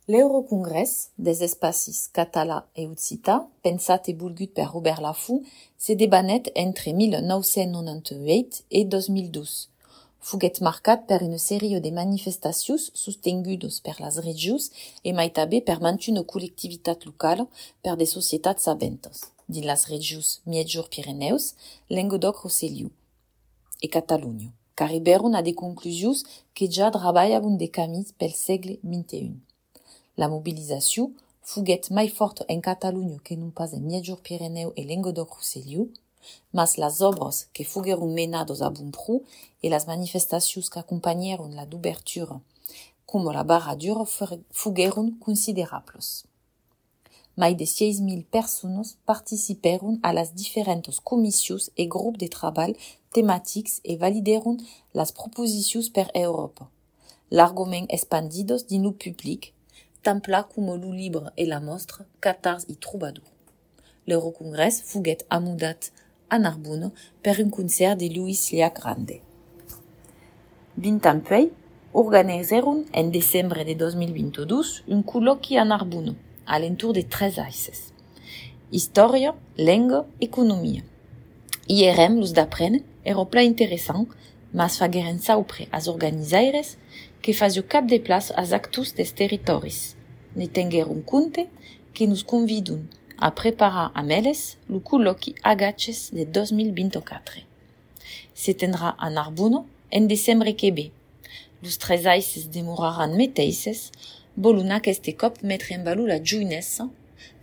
L'Eurocongrés des espacis català e occità, pensat e volgut per Robert Laffont, se debanet entre 1998 e 2012. Fuguet marcat per una sèrie de manifestacions sostengudos per las regius e mai també per una collectivitat locala per de societats sabentes, dins las regius Migjor Pirineus, Languedoc-Rosselló e Catalunya, qu'arriberon a de conclusions que ja traballaven de camins pel segle XXI. La mobilisació fuguet mai forta en Catalunya que non pas en Migjor Pirineu e Languedoc-Rosselló, mas las obras que fugueron menados a bon pro e las manifestacions que acompañaron la d'obertura, como la barradura, fugueron considerables. Mai de 6.000 personas participaron a las diferentes comissions e grupos de treball temàtics e validaron las proposicions per Europa, largament expandidos dins lo public, tant pla como lo libre e la mostra Catars i Troubadour. L'Eurocongrés fuguet amudat a Narbona per un concert de Luis Llach-Grande. Dintanpei, organizaron en desembre de 2022 un col·loqui a Narbona, a l'entour de 3 eixes: història, lengua, economia. Hierem los d'aprendre era pla interessant, mas fagueren saupre as organizaires que fazio cap de place as actus des territoris. Ne tengueron compte que nos convidun a preparar amb elles lo col·loqui Agaches de 2024. Se tendrà a Narbona en desembre que ve. Los 3 eixes demoraran meteixes, volun aquest cop metre en valor la joinessa,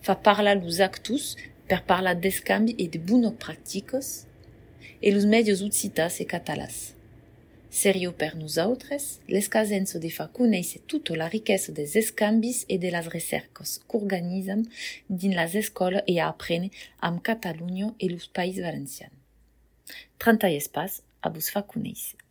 fa parlar los actus per parlar d'escambi e de bones pràctiques, e los medios occitats e catalans. Serio per nosaltres, l'escasença de fa conèixer tota la riquesa des escambis e de las recerques qu'organitzam dins las escoles e a aprendre amb Catalunya e los Països Valencians. 30 espais a vos fa conèixer.